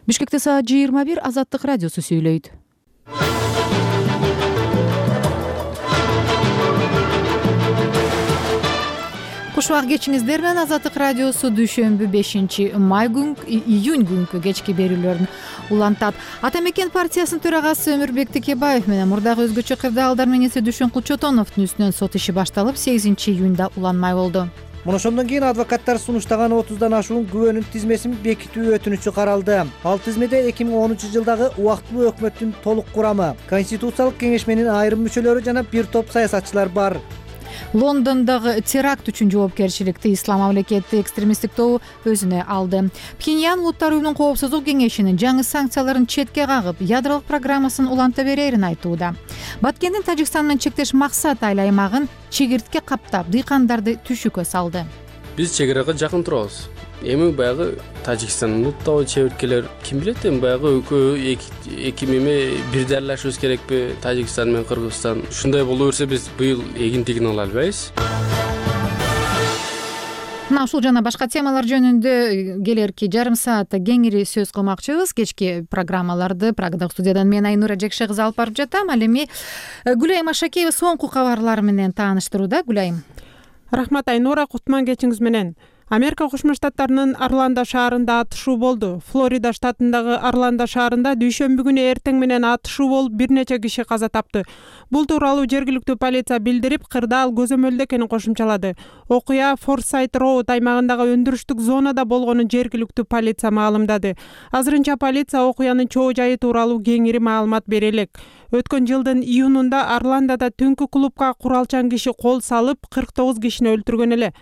Бишкекте саат 21 Азаттык радиосу сүйлөйт. Куш убак кечиңиздер менен Азаттык радиосу дүйшөмбү 5-май июнь күнкү кечки берүүлөрүн улантат. Ата мекен партиясынын төрагасы Өмүрбек Текебаев менен мурдагы өзгөчө кырдаалдар менен Дүйшөн Кулчотоновдун үстүнөн сот иши башталып, 8-июнда уланмай болду. Муну ошондон кийин адвокаттар сунуштаган 30дан ашуун күбөнүн тизмесин бекитүү өтүнүчү каралды. Ал тизмеде 2013-жылдагы убактылуу өкмөттүн толук курамы, Конституциялык кеңешменин айрым мүчөлөрү жана бир топ саясатчылар бар. Лондондогу теракт үчүн жоопкерчиликти Ислам мамлекети экстремисттик тобу өзүнө алды. Пхеньян Улуттар уюмунун коопсуздук кеңешинин жаңы санкцияларын четке кагып, ядролук программасын уланта берерин айтууда. Баткендин Тажикстан менен чектеш максат айыл аймагын чегиртке каптап, дыйкандарды түшүккө салды. Биз чегиракка жакын турабыз. Эми баягы Тажикстандын улуттуу чеберткелер ким билет, эми баягы эки меме бир дарлашыбыз керекпи? Тажикстан менен Кыргызстан ушундай боло берсе, биз быйыл эгин ала албайбыз. Мына ушул жана башка темалар жөнүндө келерки жарым саатта кеңири сөз кылмакчыбыз. Кечки программаларды Прагадагы студиядан мен Айнура Жекше кызы алып барып жатам. Ал эми Гүлайым Ашакеева соңку кабарлар менен тааныштырууда. Гүлайым. Рахмат Айнура, кутман кечиңиз менен. Америка Кошмо Штаттарынын Орландо шаарында атышуу болду. Флорида штатындагы Орландо шаарында дүйшөмбү күнү эртең менен атышуу болуп, бир нече киши каза тапты. Бул тууралуу жергиликтүү полиция билдирип, кырдаал көзөмөлдө экенин кошумчалады. Окуя Форсайт Роуд аймагындагы өндүрүштүк зонада болгонун жергиликтүү полиция маалымдады. Азырынча полиция окуянын чоо жайы тууралуу кеңири маалымат бере элек. Өткөн жылдын июнунда Орландода түнкү клубка куралчан киши кол салып, 49 кишини өлтүргөн эле.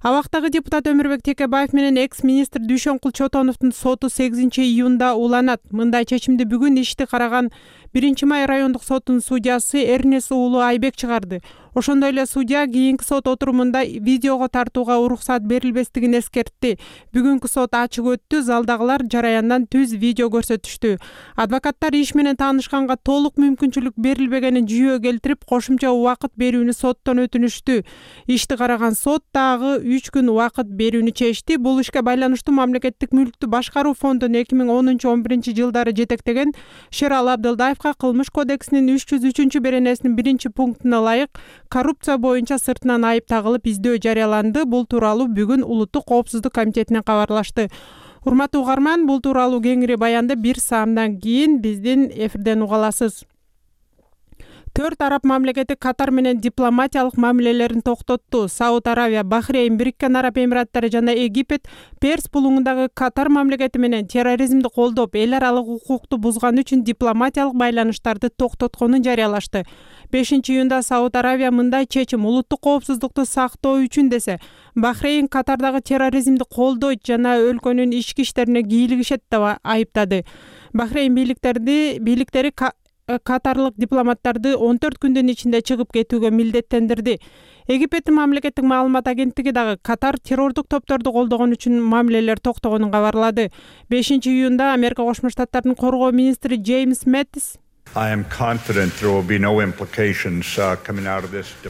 Абактагы депутат Өмүрбек Текебаев менен экс-министр Дүйшөн Кулчотоновдун соту 8-июнда уланат. Мындай чечимди бүгүн ишти караган 1-май райондук сотунун судьясы Эрнес уулу Айбек чыгарды. Ошондой эле судья кийинки сот отурумунда видеого тартууга уруксат берилбестигин эскертти. Бүгүнкү сот ачык өттү, залдагылар жараяндан түз видео көрсөтүштү. Адвокаттар иш менен таанышканга толук мүмкүнчүлүк берилбегенин жүйө келтирип, кошумча убакыт берүүнү соттон өтүнүштү. Ишти караган сот дагы 3 күн убакыт берүүнү чечти. Бул ишке байланыштуу Мамлекеттик мүлктү башкаруу фондун 2010-11 жылдары жетектеген Шерал Абдылдаевка Кылмыш кодексинин 303-беренесинин 1-пунктуна ылайык коррупция боюнча сыртынан айып тагылып издөө жарыяланды. Бул тууралуу бүгүн Улуттук коопсуздук комитетинен кабарлашты. Урматтуу угарман, бул тууралуу кеңири баянды 1 саамдан кийин биздин эфирден уга аласыз. 4 араб мамлекети Катар менен дипломатиялык мамилелерин токтотту. Сауд Аравия, Бахрейн, Бириккен Араб Эмираттары жана Египет Перс булуңундагы Катар мамлекети менен терроризмди колдоп, эл аралык укукту бузган үчүн дипломатиялык байланыштарды токтотконун жарыялашты. 5-июнда Сауд Аравия мындай чечим улуттук коопсуздукту сактоо үчүн десе, Бахрейн Катардагы терроризмди колдойт жана өлкөнүн ички иштерине кийлигишет деп айыптады. Бахрейн бийликтери катарлык дипломаттарды 14 күндүн ичинде чыгып кетүүгө милдеттендирди. Египеттин мамлекеттик маалымат агенттиги дагы Катар террордук топторду колдогон үчүн мамилелер токтогонун кабарлады. 5-июнда Америка Кошмо Штаттарынын коргоо министри Джеймс Мэттис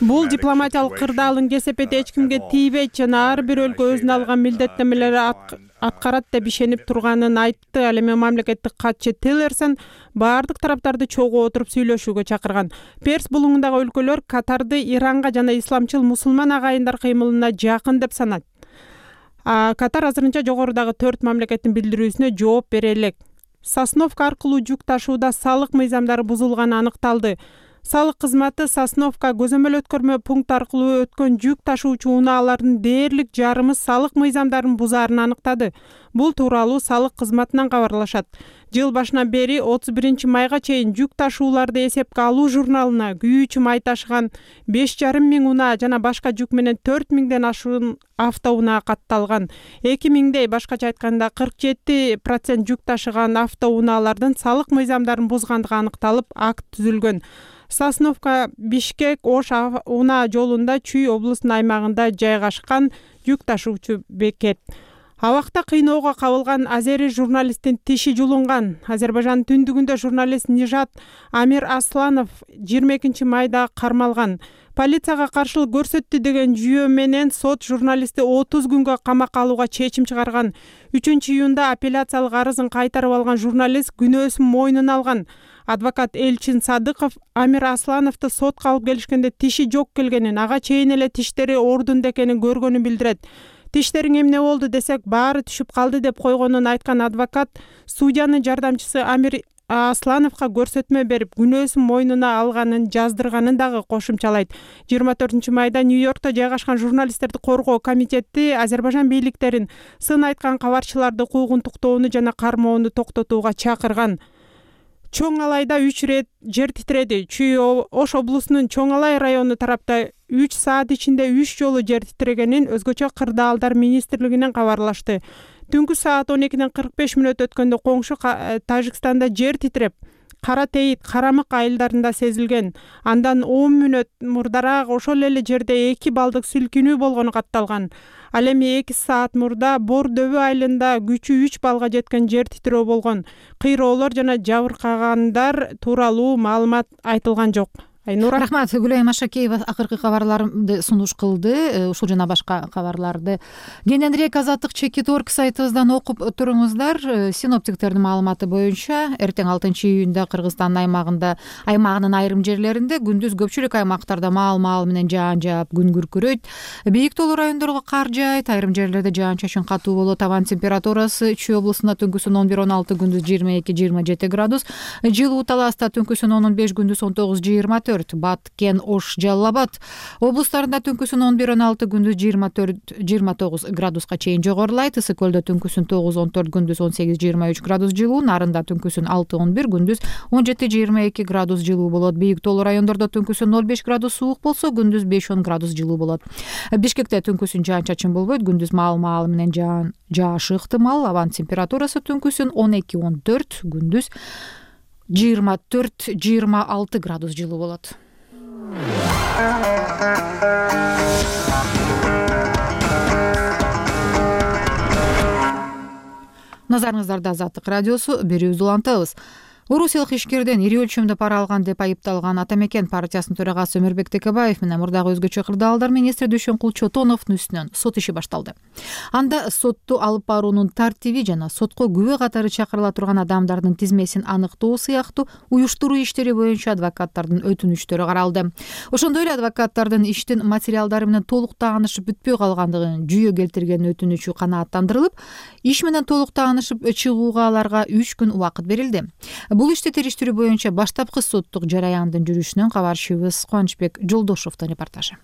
бул дипломатиялык кырдаалдын кесепети эч кимге тийбейт жана ар бир өлкө өзүнө алган милдеттенмелерди аткарат деп ишенип турганын айтты. Ал эми мамлекеттик катчы Тиллерсон баардык тараптарды чогуу отуруп сүйлөшүүгө чакырган. Перс булуңундагы өлкөлөр Катарды Иранга жана исламчыл мусулман агайындар кыймылына жакын деп санат. Катар азырынча жогорудагы 4 мамлекеттин билдирүүсүнө жооп бере элек. Сосновка аркылуу жүк ташууда салык мыйзамдары бузулганы аныкталды. Салык кызматы Сосновка көзөмөл өткөрмө пункт аркылуу өткөн жүк ташуучу унаалардын дээрлик жарымы салык мыйзамдарын бузаарын аныктады. Бул тууралуу салык кызматынан кабарлашат. Жыл башынан бери 31 майга чейин жүк ташууларды эсепке алуу журналына күйүүчү май ташыган 5,5 миң унаа жана башка жүк менен 4 миңден ашуун автоунаа катталган. 2 миңдей, башкача айтканда 47% жүк ташыган автоунаалардын салык мыйзамдарын бузгандыгы аныкталып, акт түзүлгөн. Сосновка Бишкек Ош унаа жолунда Чүй облусунун аймагында жайгашкан жүк ташуучу бекет. Абакта кыйноого кабылган азери журналисттин тиши жулунган. Азербайжандын түндүгүндө журналист Нижат Амир Асланов 22 майда кармалган. Полицияга каршылык көрсөттү деген жүйө менен сот журналистти 30 күнгө камакка алууга чечим чыгарган. 3-июнда апелляциялык арызын кайтарып алган журналист күнөөсүн мойнуна алган. Адвокат Элчин Садыков Амир Аслановду сотко алып келишкенде тиши жок келгенин, ага чейин эле тиштери ордунда экенин көргөнүн билдирет. Тиштериң эмне болду десек, баары түшүп калды деп койгонун айткан адвокат судьянын жардамчысы Амир Аслановго көрсөтмө берип, күнөөсүн мойнуна алганын жаздырганын дагы кошумчалайт. 24 майда Нью-Йоркто жайгашкан журналисттерди коргоо комитети Азербайжан бийликтерин сын айткан кабарчыларды куугунтуктоону жана кармоону токтотууга чакырган. Чоң Алайда 3 рет жер титиреди. Чүй Ош облусунун Чоң Алай району тарапта 3 саат ичинде 3 жолу жер титирегенин өзгөчө кырдаалдар министрлигинен кабарлашты. Түнкү саат 12:45 өткөндө коңшу Тажикстанда жер титиреп, Кара Тейит, Карамык айылдарында сезилген. Андан 10 мүнөт мурдараак ошол эле жерде 2 балдык сүлкүнүү болгону катталган. Ал эми 2 саат мурда Бор дөбү айылында күчү 3 балга жеткен жер титирөө болгон. Кыйроолор жана жабыркагандар тууралуу маалымат айтылган жок. Айнура. Рахмат. Гүлайым Ашакеева акыркы кабарларды сунуш кылды. Ушул жана башка кабарларды кененирээк Азаттык Чекит.org сайтыбыздан окуп туруңуздар. Синоптиктердин маалыматы боюнча эртең 6-июнда Кыргызстандын аймагынын айрым жерлеринде, күндүз көпчүлүк аймактарда маал менен жаан жаап, күн күркүрөйт. Бийик тоолуу райондорго кар жаайт, айрым жерлерде жаан-чачын катуу болот. Абан температурасы Чүй облусунда түнкүсүн 11-16, күндүз 22-27 градус. Жылуу Таласта түнкүсүн 15, күндүз 19-24. Баткен, Ош, Жалал Абад облустарында түнкүсүн 11-16, күндүз 24-29 градуска чейин жогорулайт. Ысык көлдө түнкүсүн 9-14, күндүз 18-23 градус жылуу. Нарында түнкүсүн 6-11, күндүз 17-22 градус жылуу болот. Бийик тоолуу райондордо түнкүсүн 0-5 градус суук болсо, күндүз 5-10 градус жылуу болот. Бишкекте түнкүсүн жаан-чачын болбойт, күндүз маал менен жаашы ыктымал. Абан температурасы түнкүсүн 12-14, күндүз 24-26 градус жылуу болот. Назарыңыздарда Азаттык радиосу, берүүбүздү улантабыз. Орусиялык ишкерден ири өлчөмдө пара алган деп айыпталган Ата Мекен партиясынын төрагасы Өмүрбек Текебаев менен мурдагы өзгөчө кырдаалдар министри Дүйшөнкул Чотоновдун үстүнөн сот иши башталды. Анда сотту алып баруунун тартиби жана сотко күбө катары чакырыла турган адамдардын тизмесин аныктоо сыяктуу уюштуруу иштери боюнча адвокаттардын өтүнүчтөрү каралды. Ошондой эле адвокаттардын иштин материалдары менен толук таанышып бүтпөй калгандыгын жүйө келтирген өтүнүчү канааттандырылып, иш менен толук таанышып чыгууга аларга 3 күн убакыт берилди. Бул ишти териштирүү боюнча баштапкы соттук жараяндын жүрүшүнөн кабарчыбыз Кубанычбек Жолдошовдун репортажы.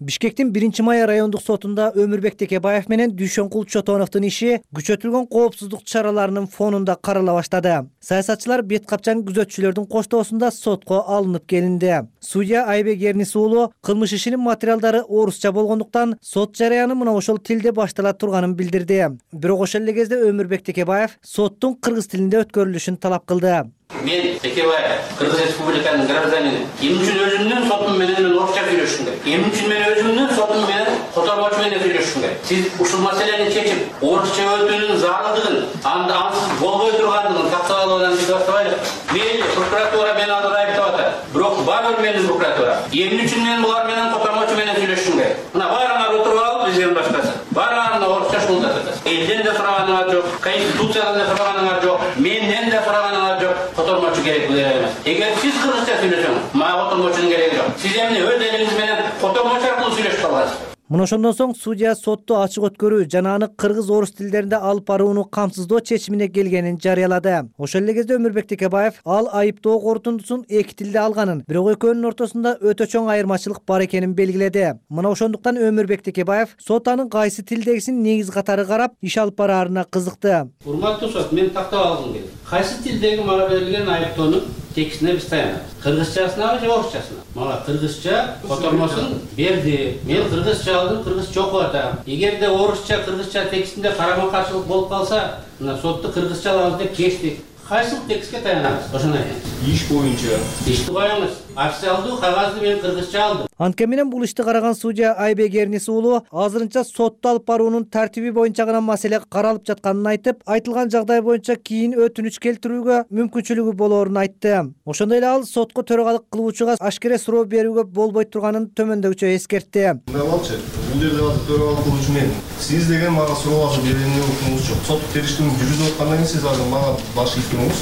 Бишкектин 1-май райондук сотунда Өмүрбек Текебаев менен Дүйшөнкул Чотоновдун иши күчөтүлгөн коопсуздук чараларынын фонунда карала баштады. Саясатчылар бет капчан күзөтчүлөрдүн коштоосунда сотко алынып келинди. Судья Айбек Эрнис уулу кылмыш ишинин материалдары орусча болгондуктан сот жараяны мына ошол тилде баштала турганын билдирди. Бирок ошол эле кезде Өмүрбек Текебаев соттун кыргыз тилинде өткөрүлүшүн талап кылды. Мен Текебаев, Кыргыз Республиканын гражданини. Эмне үчүн өзүмдүн сотум менен орусча сүйлөшүм керек? Эмне үчүн мен өзүмдүн сотум менен котормочу менен сүйлөшүм керек? Сиз ушул маселени чечип, орусча өтүүнүн зарылдыгын, ансыз болбой тургандыгын тактап алуудан биз баштабайлы. Мейли, прокуратура мени азыр айыптап атат. Бирок бар менин прокуратура. Эмне үчүн мен булар менен котормочу менен сүйлөшүм керек? Мына баарыңар отуруп алып, бизден башкасы. Баарыңар орусча шулдатат. Элден да сураганыңар жок, конституциядан да сураганыңар жок, менден да сураганыңар жок. Котормочу керек деп эмес. Эгер сиз кыргызча сүйлөсөңүз, мага котормочунун кереги жок. Сиз эмне өз элиңиз менен котормочу аркылуу сүйлөшүп калгансыз? Мына ошондон соң судья сотту ачык өткөрүү жана аны кыргыз-орус тилдеринде алып барууну камсыздоо чечимине келгенин жарыялады. Ошол эле кезде Өмүрбек Текебаев ал айыптоо корутундусун 2 тилде алганын, бирок экөөнүн ортосунда өтө чоң айырмачылык бар экенин белгиледи. Мына ошондуктан Өмүрбек Текебаев сот анын кайсы тилдегисин негиз катары карап, иш алып бараарына кызыкты. Урматтуу сот, мен тактап алгым келет. Кайсы тилдеги мага берилген айыптоонун текстине биз таянабыз? Кыргызчасынабы же орусчасына? Мага кыргызча котормосун берди. Мен кыргызча алдым, кыргызча окуп атам. Эгерде орусча, кыргызча текстинде карама каршылык болуп калса, мына сотту кыргызча алабыз деп кечтик. Кайсы текстке таянабыз? Ошону айтыңыз. Иш боюнча. Ишти коюңуз. Официалдуу кагазды мен кыргызча алдым. Анткени менен бул ишти караган судья Айбек Эрнис уулу азырынча сотто алып баруунун тартиби боюнча гана маселе каралып жатканын айтып, айтылган жагдай боюнча кийин өтүнүч келтирүүгө мүмкүнчүлүгү болоорун айтты. Ошондой эле ал сотко төрагалык кылуучуга ашкере суроо берүүгө болбой турганын төмөндөгүчө эскертти. Бул жерде азыр төрагалык кылуучу мен. Сиз деген мага суроо берүүнү укугуңуз жок. Сот териштирүүнү жүргүзүп аткандан кийин сиз азыр мага баш ийгиңиз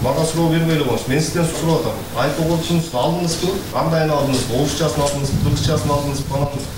мага суроо бербей эле коюңуз. Мен сизден сурап атам. Айтып койсоңуз алдыңызбы? Кандайын алдыңызбы? Орусчасын алдыңызбы? Кыргызчасын алдыңызбы?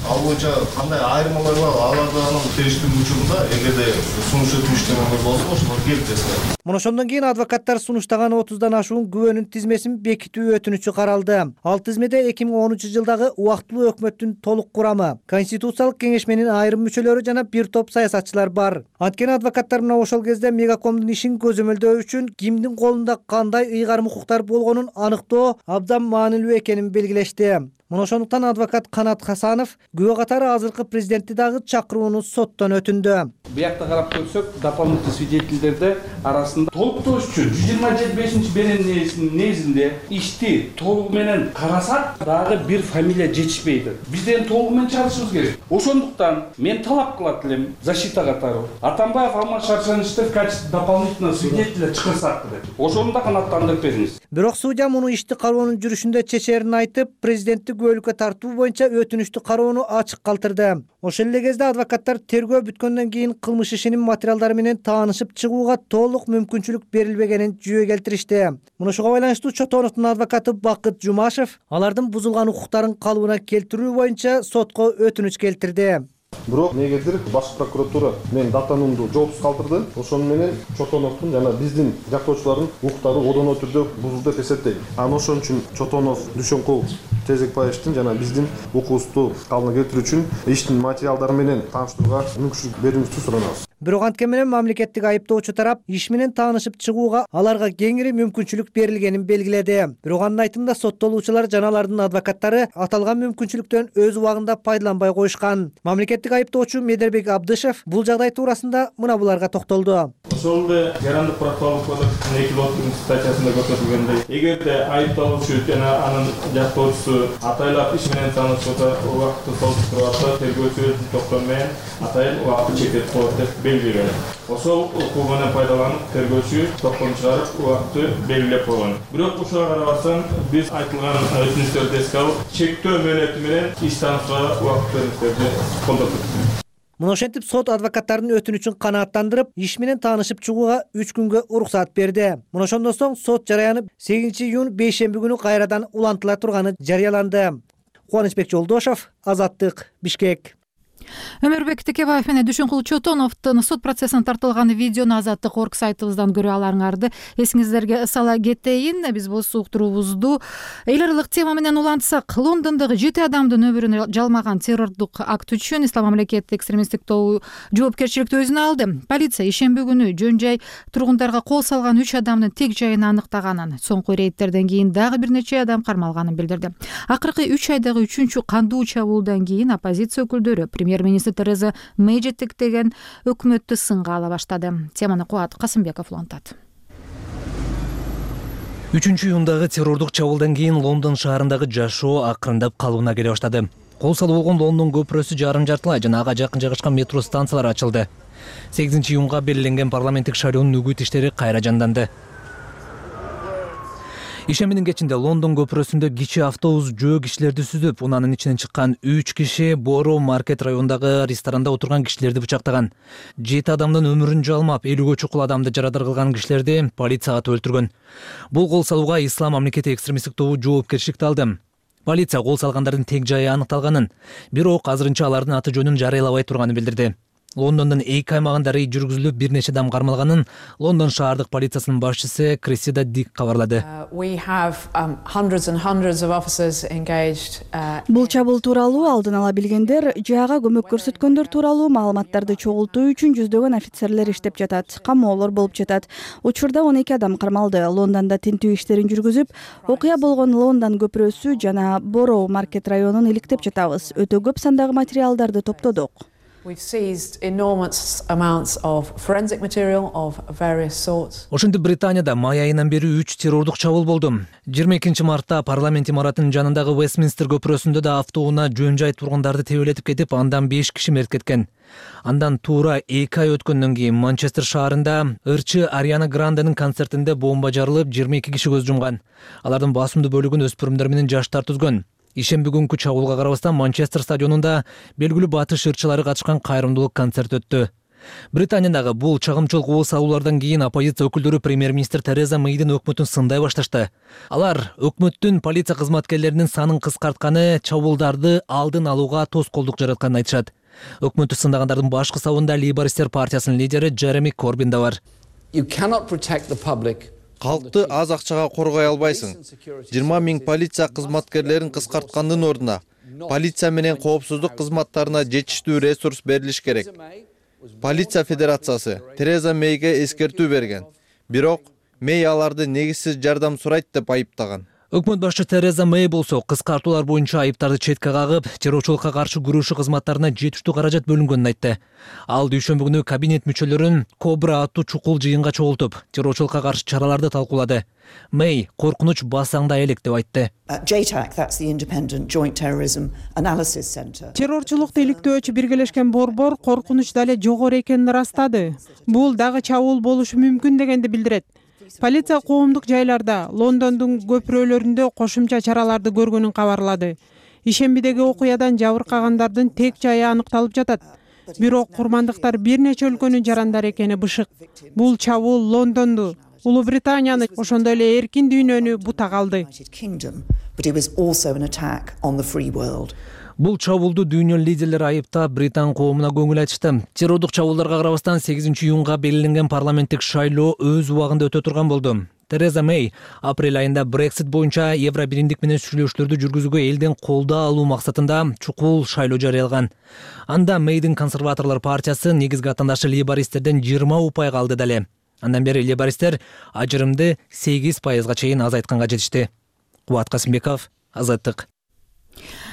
Ал боюнча кандай айырмалар бар? Алардын териштирүү учурунда эгерде сунуш өтүнүчтөн болсо, ошол келтиресиңер. Мына ошондон кийин адвокаттар сунуштаган 30дан ашуун күбөнүн тизмесин бекитүү өтүнүчү каралды. Ал тизмеде 2013-жылдагы убактылуу өкмөттүн толук курамы, Конституциялык кеңешменин айрым мүчөлөрү жана бир топ саясатчылар бар. Анткени адвокаттар мына ошол кезде Мегакомдун ишин көзөмөлдөө үчүн кимдин колунда кандай ыйгарым укуктар болгонун аныктоо абдан маанилүү экенин белгилешти. Мына ошондуктан адвокат Канат Хасанов күбө катары азыркы президентти дагы чакырууну соттон өтүндү. Буякта карап көрсөк, дополнительный свидетельдерди арасында толуктоош үчүн 125-беренесинин негизинде ишти толугу менен карасак, дагы бир фамилия жетишпейди. Бизден толугу менен чалышыбыз керек. Ошондуктан мен талап кылат элем защита катары Атамбаев Алмаз Шаршановичти в качестве дополнительного свидетеля чыгарсак деп. Ошону да канааттандырып бериңиз. Бирок судья муну ишти кароонун жүрүшүндө чечерин айтып, президентти күбөлүккө тартуу боюнча өтүнүчтү кароону ачык калтырды. Ошол эле кезде адвокаттар тергөө бүткөндөн кийин кылмыш ишинин материалдары менен таанышып чыгууга толук мүмкүнчүлүк берилбегенин жүйө келтиришти. Муну ошого байланыштуу Чотоновдун адвокаты Бакыт Жумашев алардын бузулган укуктарын калыбына келтирүү боюнча сотко өтүнүч келтирди. Бирок негедир баш прокуратура мен даттануумду жоопсуз калтырды. Ошону менен Чотоновдун жана биздин жактоочулардын укуктары одоно түрдө бузулду деп эсептейм. Ошон үчүн Чотонов Дүйшөнкул Тезекбаевдин жана биздин укугубузду калыбына келтирүү үчүн иштин материалдары менен тааныштырууга мүмкүнчүлүк берүүңүздү суранабыз. Бирок анткени менен мамлекеттик айыптоочу тарап иш менен таанышып чыгууга аларга кеңири мүмкүнчүлүк берилгенин белгиледи. Бирок анын айтымында соттолуучулар жана алардын адвокаттары аталган мүмкүнчүлүктөн өз убагында пайдаланбай коюшкан. Мамлекеттик айыптоочу Медербек Абдышев бул жагдай туурасында мына буларга токтолду. Ошол эле Жарандык процессуалдык кодекстин 230 статьясында көрсөтүлгөндөй, эгерде айыпталуучу жана анын жактоочусу атайлап иш менен таанышса, убакытты солуштуруп атса, тергөөчү өз токтому менен атайын убакытты чектеп коет деп белгилеген. Ошол укугу менен пайдаланып, тергөөчү токтому чыгарып, убакытты белгилеп койгон. Бирок ушуга карабастан биз айтылган өтүнүчтөрдү эске алып, чектөө мөөнөтү менен иш танышууга убакыт берүүнүздөрдү колдондук. Муну ошентип сот адвокаттардын өтүнүчүн канааттандырып, иш менен таанышып чыгууга 3 күнгө уруксат берди. Муну ошондон соң сот жарыяны 8-июнь бейшемби күнү кайрадан улантыла турганы жарыяланды. Кубанычбек Жолдошов, Азаттык, Бишкек. Өмүрбек Текебаев менен Дүйшөнкул Чотоновдун сот процессине тартылган видеону Азаттык орг сайтыбыздан көрө аларыңарды эсиңиздерге сала кетейин. Биз болсо уктуруубузду эл аралык тема менен улантсак, Лондондогу 7 адамдын өмүрүн жалмаган террордук акт үчүн Ислам мамлекети экстремисттик тобу жоопкерчиликти өзүнө алды. Полиция ишемби күнү жөн-жай тургундарга кол салган 3 адамдын тек жайын аныктаганын, соңку рейдтерден кийин дагы бир нече адам кармалганын билдирди. Акыркы 3 айдагы 3-чү кандуу чабуулдан кийин оппозиция өкүлдөрү премьер-министр Тереза Мэй жетектеген өкмөттү сынга ала баштады. Теманы Кубат Касымбеков улантат. 3-июндагы террордук чабуулдан кийин Лондон шаарындагы жашоо акырындап калыбына келе баштады. Кол салып болгон Лондон көпүрөсү жарым жартылай жана ага жакын жайгашкан метро станциялары ачылды. 8-июнга белгиленген парламенттик шайлоонун үгүт иштери кайра жанданды. Ишембинин кечинде Лондон көпүрөсүндө кичи автобус жөө кишилерди сүзүп, унанын ичинен чыккан 3 киши Боро маркет районундагы ресторанда отурган кишилерди бычактаган. 7 адамдын өмүрүн жалмап, 50ге чукул адамды жарадар кылган кишилерди полиция атып өлтүргөн. Бул кол салууга Ислам мамлекети экстремисттик тобу жоопкерчиликти алды. Полиция кол салгандардын тек жайы аныкталганын, бирок азырынча алардын аты жөнүн жарыялабай турганын билдирди. Лондондун 2 аймагында рейд жүргүзүлүп, бир нече адам кармалганын Лондон шаардык полициясынын башчысы Крессида Дик кабарлады. Бул чабуул тууралуу алдын ала билгендер, жаага көмөк көрсөткөндөр тууралуу маалыматтарды чогултуу үчүн жүздөгөн офицерлер иштеп жатат, камоолор болуп жатат. Учурда 12 адам кармалды. Лондондо тинтүү иштерин жүргүзүп, окуя болгон Лондон көпүрөсү жана Боро маркет районун иликтеп жатабыз. Өтө көп сандагы материалдарды топтодук. Ошентип Британияда май айынан бери 3 террордук чабуул болду. 22 мартта парламент имаратынын жанындагы Вестминстер көпүрөсүндө да автоунаа жөн жай тургундарды тебелетип кетип, андан 5 киши мерт кеткен. Андан туура 2 ай өткөндөн кийин Манчестер шаарында ырчы Ариана Гранденин концертинде бомба жарылып, 22 киши көз жумган. Алардын басымдуу бөлүгүн өспүрүмдөр менен жаштар түзгөн. Ишемби күнкү чабуулга карабастан Манчестер стадионунда белгилүү батыш ырчылары катышкан кайрымдуулук концерт өттү. Британиядагы бул чагымчылык ооз салуулардан кийин оппозиция өкүлдөрү премьер-министр Тереза Мэйдин өкмөтүн сындай башташты. Алар өкмөттүн полиция кызматкерлеринин санын кыскартканы чабуулдарды алдын алууга тоскоолдук жаратканын айтышат. Өкмөттү сындагандардын башкы сабында Лейбористтер партиясынын лидери Джереми Корбин да бар. Калкты аз акчага коргой албайсың. 20 миң полиция кызматкерлерин кыскарткандын ордуна полиция менен коопсуздук кызматтарына жетиштүү ресурс берилиш керек. Полиция федерациясы Тереза Мэйге эскертүү берген. Бирок Мэй аларды негизсиз жардам сурайт деп айыптаган. Өкмөт башчы Тереза Мэй болсо кыскартуулар боюнча айыптарды четке кагып, террорчулукка каршы күрөшүү кызматтарына жетиштүү каражат бөлүнгөнүн айтты. Ал дүйшөмбү күнү кабинет мүчөлөрүн Кобра аттуу чукул жыйынга чогултуп, террорчулукка каршы чараларды талкуулады. Мэй коркунуч басаңда элек деп айтты. Террорчулукту иликтөөчү биргелешкен борбор коркунуч дале жогору экенин ырастады. Бул дагы чабуул болушу мүмкүн дегенди билдирет. Полиция коомдук жайларда, Лондондун көпүрөлөрүндө кошумча чараларды көргөнүн кабарлады. Ишембидеги окуядан жабыркагандардын тек жайы аныкталып жатат. Бирок курмандыктар бир нече өлкөнүн жарандары экени бышык. Бул чабуул Лондонду, Улуу Британияны, ошондой эле эркин дүйнөнү бута калды. Бул чабуулду дүйнө лидерлери айыптап, Британ коомуна көңүл айтышты. Террордук чабуулдарга карабастан 8 июнга белгиленген парламенттик шайлоо өз убагында өтө турган болду. Тереза Мэй апрель айында Брексит боюнча Евро биримдик менен сүйлөшүүлөрдү жүргүзүүгө элден колдоо алуу максатында чукул шайлоо жарыялаган. Анда Мэйдин консерваторлор партиясы негизги атаандашы лейбористтерден 20 упайга алды дале. Андан бери лейбористтер ажырымды 8% чейин азайтканга жетишти. Кубат Касымбеков, Азаттык.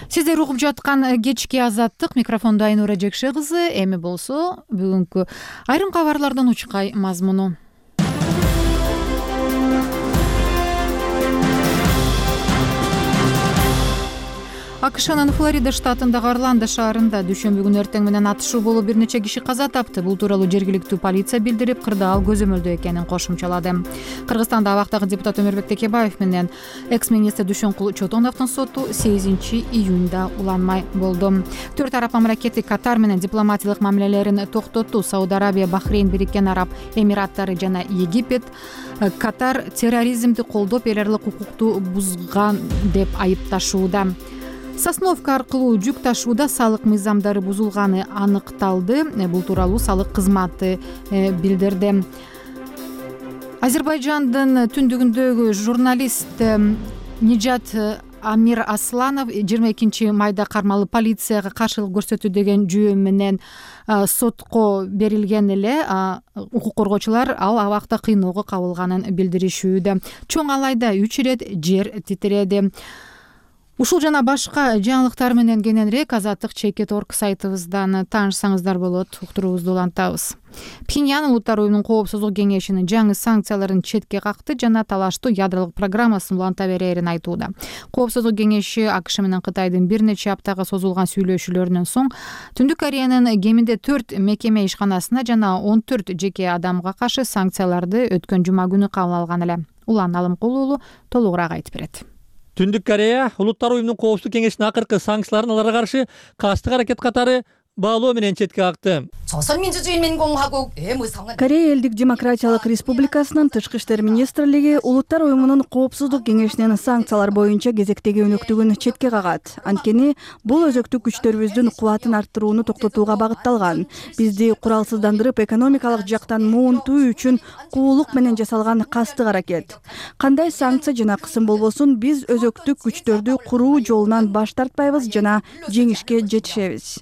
Сиздер угуп жаткан кечки Азаттык, микрофондо Айнура Жекше кызы. Эми болсо бүгүнкү айрым кабарлардан учкай мазмуну. АКШнын Флорида штатындагы Орландо шаарында дүйшөмбү күнү эртең менен атышуу болуп бир нече киши каза тапты. Бул тууралуу жергиликтүү полиция билдирип, кырдаал көзөмөлдө экенин кошумчалады. Кыргызстанда абактагы депутат Өмүрбек Текебаев менен экс-министр Дүйшөнкул Чотоновдун соту 8 июнда уланмай болду. 4 араб мамлекети Катар менен дипломатиялык мамилелерин токтотту. Сауд Арабия, Бахрейн, Бириккен Араб Эмираттары жана Египет Катар терроризмди колдоп, эл аралык укукту бузган деп айыпташууда. Сосновка аркылуу жүк ташууда салык мыйзамдары бузулганы аныкталды. Бул тууралуу салык кызматы билдирди. Азербайжандын түндүгүндөгү журналист Нижат Амир Асланов 22 майда кармалып полицияга каршылык көрсөтүү деген жүйө менен сотко берилген эле. Укук коргоочулар ал абакта кыйноого кабылганын билдиришүүдө. Чоң Алайда 3 ирет жер титиреди. Ушул жана башка жаңылыктар менен кененирээк Азаттык.org сайтыбыздан таанышсаңыздар болот. Уктуруубузду улантабыз. Пхеньян Улуттар уюмунун коопсуздук кеңешинин жаңы санкцияларын четке какты жана талаштуу ядролук программасын уланта берерин айтууда. Коопсуздук кеңеши АКШ менен Кытайдын бир нече аптага созулган сүйлөшүүлөрүнөн соң Түндүк Кореянын кеминде 4 мекеме ишканасына жана 14 жеке адамга каршы санкцияларды өткөн жума күнү кабыл алган эле. Улан Алымкул уулу толугураак айтып берет. Түндүк Корея Улуттар уюмунун коопсуздук кеңешинин акыркы санкцияларын аларга каршы кастык аракет катары баалоо менен четке какты. Корея элдик демократиялык республикасынын тышкы иштер министрлиги Улуттар уюмунун коопсуздук кеңешинин санкциялар боюнча кезектеги өнөктүгүн четке кагат. Анткени бул өзөктүк күчтөрүбүздүн кубатын арттырууну токтотууга багытталган. Бизди куралсыздандырып, экономикалык жактан муунтуу үчүн куулук менен жасалган кастык аракет. Кандай санкция жана кысым болбосун, биз өзөктүк күчтөрдү куруу жолунан баш тартпайбыз жана жеңишке жетишебиз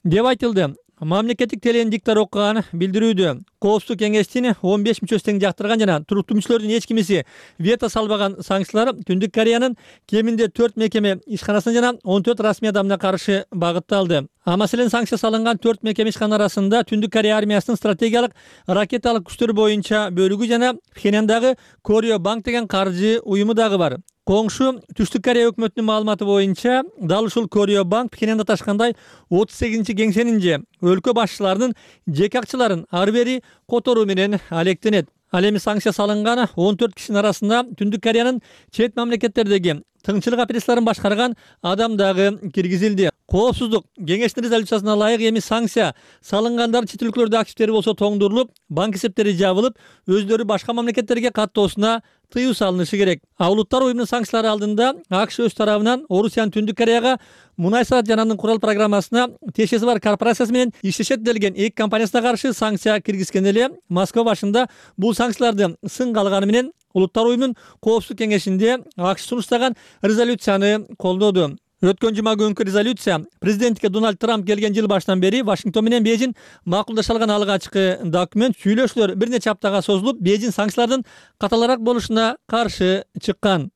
деп айтылды. мамлекеттик телеен диктор окуганы билдирүүдө. Коопсуздук кеңештин 15 мүчөсү тең жактырган жана туруктуу мүчөлөрдүн эч кимиси вето салбаган санкциялар Түндүк Кореянын кеминде 4 мекеме ишканасына жана 14 расмий адамына каршы багытталды. Маселен, санкция салынган 4 мекеме ишкана арасында Түндүк Корея армиясынын стратегиялык ракеталык күчтөр боюнча бөлүгү жана Пхеньяндагы Корyo Bank деген каржы уюму дагы бар. Коңшу Түштүк Корея өкмөтүнүн маалыматы боюнча, дал ушул Корyo Bank Пхеньянда ташкандай 38-кеңсенин же өлкө башчыларынын жеке акчаларын ар бери которуу менен алектенет. Ал эми санкция салынган 14 кишинин арасында Түндүк Кореянын чет мамлекеттердеги тыңчылык операцияларын башкарган адам дагы киргизилди. Коопсуздук кеңештин резолюциясына ылайык эми санкция салынгандардын чет өлкөлөрдө активдери болсо тоңдурулуп, банк эсептери жабылып, өздөрү башка мамлекеттерге каттоосуна тыюу салынышы керек. Улуттар уюмунун санкциялары алдында АКШ өз тарабынан Орусиянын Түндүк Кореяга мунай саат жананын курал программасына тиешеси бар корпорациясы менен иштешет делген 2 компаниясына каршы санкция киргизген эле. Москва башында бул санкцияларды сынга алганы менен Улуттар уюмунун Коопсуздук кеңешинде АКШ сунуштаган резолюцияны колдоду. Өткөн жума күнкү резолюция президентке Дональд Трамп келген жыл башынан бери Вашингтон менен Бейжин макулдаша алган алгачкы документ. Сүйлөшүүлөр бир нече аптага созулуп, Бейжин санкциялардын каталараак болушуна каршы чыккан.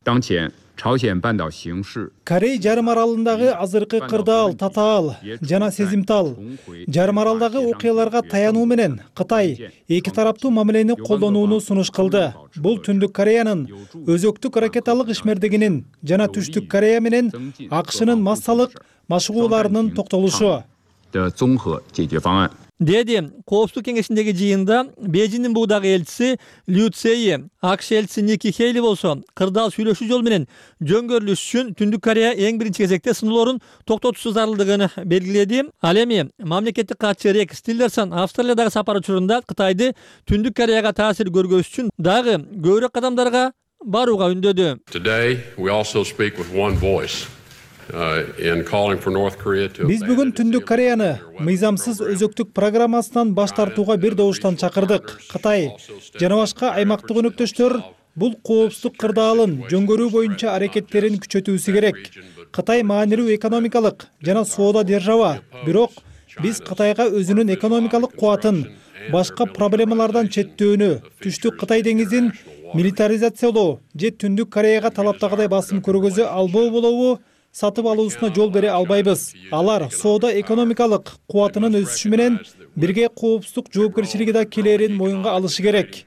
Корей жарым аралындагы азыркы кырдаал, татаал жана сезимтал жарым аралдагы окуяларга таянуу менен Кытай эки тараптуу мамилени колдонууну сунуш кылды. Бул Түндүк Кореянын өзөктүк ракеталык ишмердигинин жана Түштүк Корея менен АКШнын массалык машыгууларынын токтолушу. Деди Коопсуздук кеңешиндеги жыйында Бейжиндин буудагы элчиси Лю Цейи, АКШ элчиси Ники Хейли болсо, кырдаал сүйлөшүү жолу менен жөнгөрүлүш үчүн Түндүк Корея эң биринчи кезекте сыноолорун токтотуусу зарылдыгын белгиледи. Ал эми мамлекеттик катчы Рекс Тиллерсон Австралиядагы сапар учурунда Кытайды Түндүк Кореяга таасир көргөзүш үчүн дагы көбүрөөк кадамдарга барууга үндөдү. Биз бүгүн Түндүк Кореяны мыйзамсыз өзөктүк программасынан баш тартууга бир добуштан чакырдык. Кытай жана башка аймактык өнөктөштөр бул коопсуздук кырдаалын жөнгөрүү боюнча аракеттерин күчөтүүсү керек. Кытай маанилүү экономикалык жана соода держава, бирок биз Кытайга өзүнүн экономикалык кубатын башка проблемалардан четтөөнү, Түштүк Кытай деңизин милитаризациялоо же Түндүк Кореяга талаптагыдай басым көргөзө албоо болобу сатып алуусуна жол бере албайбыз. Алар соода экономикалык кубатынын өсүшү менен бирге коопсуздук жоопкерчилиги да келерин моюнга алышы керек.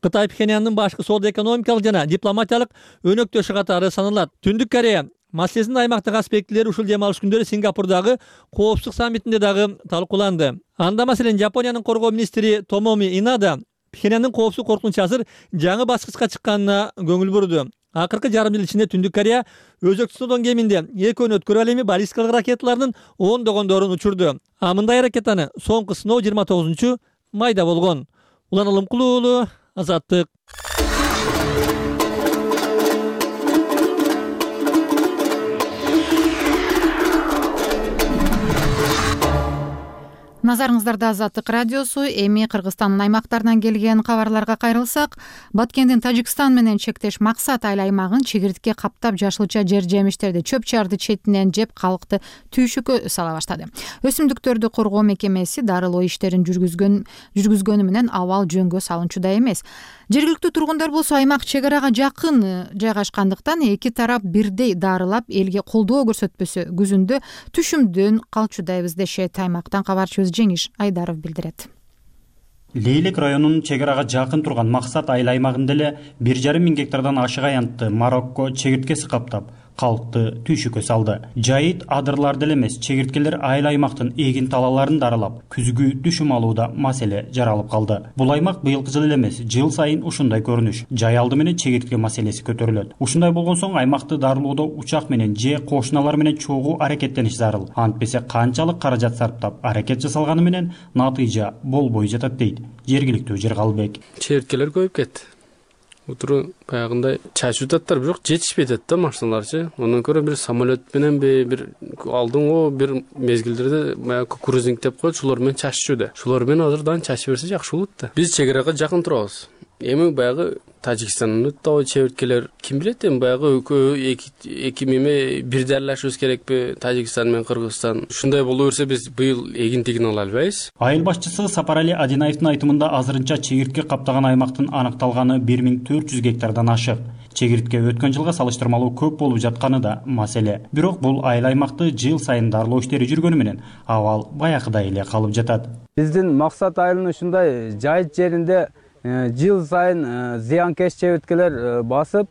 Кытай Пхеньяндын башкы соода экономикалык жана дипломатиялык өнөктөшү катары саналат. Түндүк Корея маселесинин аймактык аспектилери ушул дем алыш күндөрү Сингапурдагы коопсуздук саммитинде дагы талкууланды. Анда маселен Япониянын коргоо министри Томоми Инада Пхеньяндын коопсуздук коркунучу азыр жаңы баскычка чыкканына көңүл бурду. Акыркы жарым жыл ичинде Түндүк Корея өзөкчүсүнүн кеминде 2 өнөткөр ал эми баллистикалык ракеталардын ондогондорун учурду. Мындай ракетаны соңку сыноо 29 майда болгон. Улан Алымкулуу уулу, Азаттык. Назарыңыздарда Азаттык радиосу. Эми Кыргызстандын аймактарынан келген кабарларга кайрылсак, Баткендин Тажикстан менен чектеш Максат айыл аймагын чегиртке каптап жашылча жер жемиштерди, чөп чарды четинен жеп калкты түйшүккө сала баштады. Өсүмдүктөрдү коргоо мекемеси дарылоо иштерин жүргүзгөнү менен абал жөнгө салынчудай эмес. Жергиликтүү тургундар болсо аймак чек арага жакын жайгашкандыктан эки тарап бирдей дарылап элге колдоо көрсөтпөсө күзүндө түшүмдөн калчудайбыз дешет. Аймактан кабарчыбыз Жеңиш Айдаров билдирет. Лейлек районунун чек арага жакын турган Максат айыл аймагында эле 1,5 миң гектардан ашык аянтты Марокко чегирткеси каптап, калкты түйшүккө салды. Жайыт адырлар деле эмес, чегирткелер айыл аймактын эгин талаларын дарылап, күзгү түшүм алууда маселе жаралып калды. Бул аймак быйылкы жыл эле эмес, жыл сайын ушундай көрүнүш. Жай алды менен чегиртке маселеси көтөрүлөт. Ушундай болгон соң аймакты дарылоодо учак менен же кошуналар менен чогуу аракеттениш зарыл. Антпесе канчалык каражат сарптап аракет жасалганы менен натыйжа болбой жатат дейт жергиликтүү Жергалбек. Чегирткелер көбөйүп кетти. Утуру баягындай чачып жататтар, бирок жетишпей жатат да машиналарчы. Ондан көрө бир самолет менен бир алдыңғы бир мезгилдерде баягы кукурузник деп коет, шулар менен чачышууда. Шулар менен азырдан чачып берсе жакшы болот да. Биз чек арага жакын турабыз. Эми баягы Тажикстандын тоо чеберткелер ким билет эми баягы эки меме бир дарлашыбыз керекпи Тажикстан менен Кыргызстан. Ушундай боло берсе биз быйыл эгинтигин ала албайбыз. Айыл башчысы Сапарали Адинаевдин айтымында азырынча чегиртке каптаган аймактын аныкталганы 1400 гектардан ашык. Чегиртке өткөн жылга салыштырмалуу көп болуп жатканы да маселе. Бирок бул айыл аймакты жыл сайын дарлоо иштери жүргөнү менен абал баягыдай эле калып жатат. Биздин максат айылын ушундай жайыт жеринде жыл сайын зыянкеш чеберткелер басып,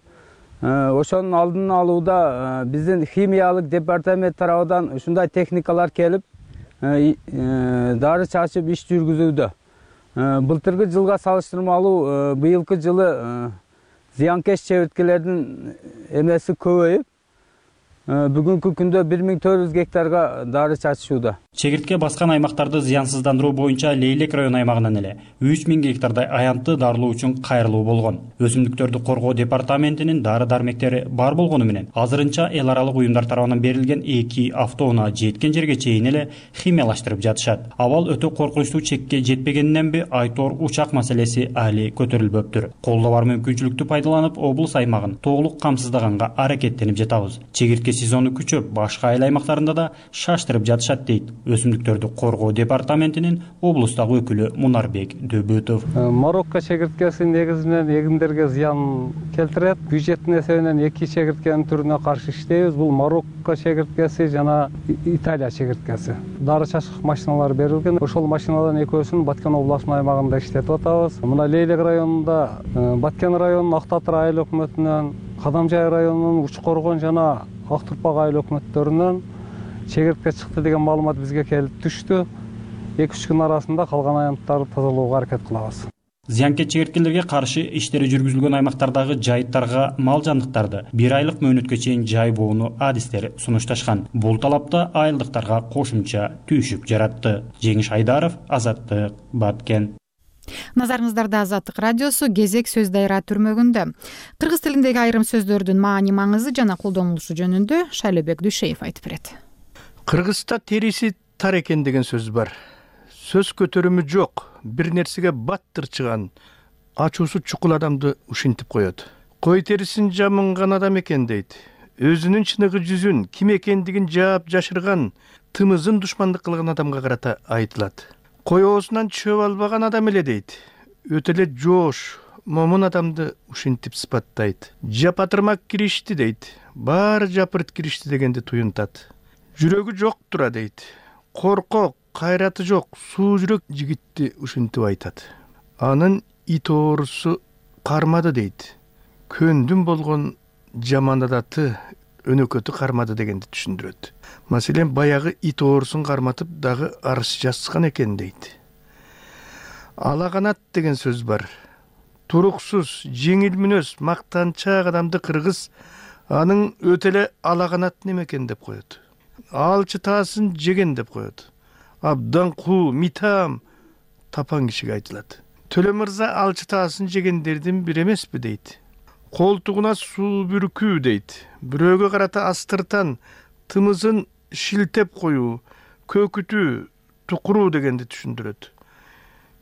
ошонун алдын алууда биздин химиялык департамент тарабынан ушундай техникалар келип, дары чачып иш жүргүзүүдө. Былтыркы жылга салыштырмалуу быйылкы жылы зыянкеш чеберткелердин эмеси көбөйүп, бүгүнкү күндө 1400 гектарга дары чачышууда. Чегиртке баскан аймактарды зыянсыздандыруу боюнча Лейлек район аймагынан эле 3000 гектардай аянтты дарылоо үчүн кайрылуу болгон. Өсүмдүктөрдү коргоо департаментинин дары-дармектери бар болгону менен азырынча эл аралык уюмдар тарабынан берилген 2 автоунаа жеткен жерге чейин эле химиялаштырып жатышат. Абал өтө коркунучтуу чекке жетпегениненби Айтор учак маселеси али көтөрүлбөптүр. Колдо бар мүмкүнчүлүктү пайдаланып, облус аймагын толук камсыздаганга аракеттенип жатабыз. Чегиртке сезону күчөп, башка айыл аймактарында да шаштырып жатышат дейт Өсүмдүктөрдү коргоо департаментинин облустагы өкүлү Мунарбек Дөбөтов. Марокко чегирткеси негизинен эгиндерге зыян келтирет. Бюджеттин эсебинен 2 чегирткенин түрүнө каршы иштейбиз. Бул Марокко чегирткеси жана Италия чегирткеси. Дары чачкыч машиналар берилген. Ошол машинадан экөөсүн Баткен областынын аймагында иштетип атабыз. Мына Лейлек районунда Баткен районунун Актатыр айыл өкмөтүнөн, Кадамжай районунун Учкоргон жана Актурпак айыл өкмөттөрүнөн чегиртке чыкты деген маалымат бизге келип түштү. 2-3 күн арасында калган аянттарды тазалоого аракет кылабыз. Зыянкеч чегирткелерге каршы иштери жүргүзүлгөн аймактардагы жайыттарга мал жандыктарды 1 айлык мөөнөткө чейин жайбоону адистери сунушташкан. Бул талапта айылдыктарга кошумча түйшүк жаратты. Жеңиш Айдаров, Азаттык, Баткен. Назарыңыздарда Азаттык радиосу кезек сөз дайра түрмөгүндө. Кыргыз тилиндеги айрым сөздөрдүн маани маңызы жана колдонулушу жөнүндө Шайлебек Дүйшеев айтып берет. Кыргызда териси тар экен деген сөз бар. Сөз көтөрүмү жок, бир нерсеге баттыр чыган, ачуусу чукул адамды ушинтип коет. Кой терисин жамынган адам экен дейт. Өзүнүн чыныгы жүзүн, ким экендигин жаап жашырган, тымызын душмандык кылган адамга карата айтылат. Кой оозунан чөп албаган адам эле дейт. Өтө эле жоош, момун адамды ушинтип сыпаттайт. Жапатырмак киришти дейт. Баары жапырт киришти дегенди туюнтат. Жүрөгү жок тура дейт. Коркок, кайраты жок, суу жүрөк жигитти ушинтип айтат. Анын ит оорусу кармады дейт. Көндүм болгон жаман адаты өнөкөтү кармады дегенди түшүндүрөт. Маселен, баягы ит оорусун карматып дагы арыз жазган экен дейт. Алаганат деген сөз бар. Туруксуз, жеңил мүнөз, мактанчаак адамды кыргыз анын өтө эле алаганат немекен деп коет. Алчы таасын жеген деп коет. Абдан куу, митам тапан кишиге айтылат. Төлө мырза алчы таасын жегендердин бири эмеспи дейт. Колтугуна суу бүркүү дейт. Бирөөгө карата астыртан, тымызын шилтеп коюу, көкүтүү, тукуруу дегенди түшүндүрөт.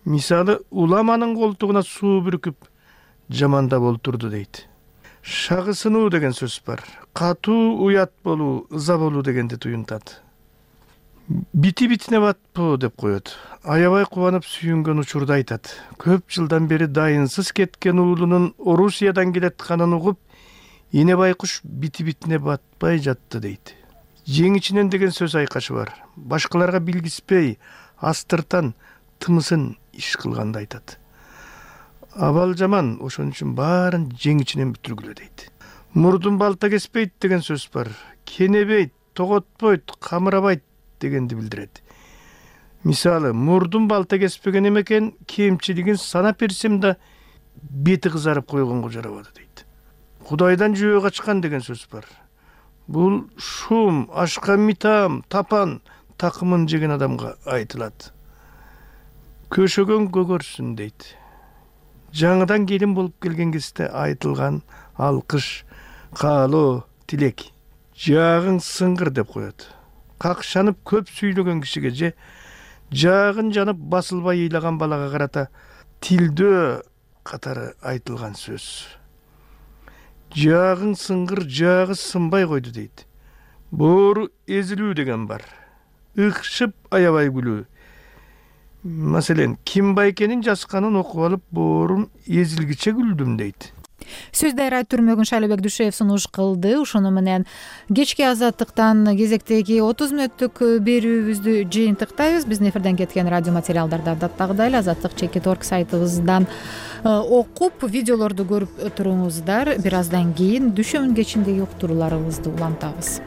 Мисалы, уламанын колтугуна суу бүркүп жамандап олтурду дейт. Шагысынуу деген сөз бар. Катуу уят болуу, ыза болуу дегенди туюнтат. Бити-битине батпоо деп коет. Аябай кубанып сүйүнгөн учурда айтат. Көп жылдан бери дайынсыз кеткен уулунун Орусиядан келатканын угуп, эне байкуш бити-битине батпай жатты дейт. Жеңичинен деген сөз айкашы бар. Башкаларга билгиспей, астыртан тымысын иш кылганды айтат. Абал жаман, ошон үчүн баарын жеңичинен бүтүргүлө дейт. Мурдун балта кеспейт деген сөз бар. Кенебейт, тоготпойт, камырабайт дегенди билдирет. Мисалы, мурдун балта кеспеген эмекен, кемчилигин санап берсем да бети кызарып койгонго жарабады дейт. Кудайдан жөө качкан деген сөз бар. Бул шум, ашка митам, тапан, такымын жеген адамга айтылат. Көшөгөн көгөрсүн дейт. Жаңыдан келин болуп келген кезде айтылган алкыш, каалоо, тилек. Жаагың сыңгыр деп коет. Какшанып көп сүйлөгөн кишиге же жаагын жанып басылбай ыйлаган балага карата тилдөө катары айтылган сөз. Жаагың сыңгыр, жаагы сынбай койду дейт. Боору эзилүү деген бар. Ыкшып аябай күлүү. Маселен, ким байкенин жазганын окуп алып, боорум эзилгиче күлдүм дейт. Сөз дайра Түрмөгүн Шайлообек Дүйшөев сунуш кылды. Ушуну менен кечки Азаттыктан кезектеги 30 мүнөттүк берүүбүздү жыйынтыктайбыз. Биздин эфирден кеткен радио материалдарды адаттагыдай эле Азаттык.org сайтыбыздан окуп, видеолорду көрүп туруңуздар. Бир аздан кийин Дүйшөмүн кечиндеги уктурууларыбызды улантабыз.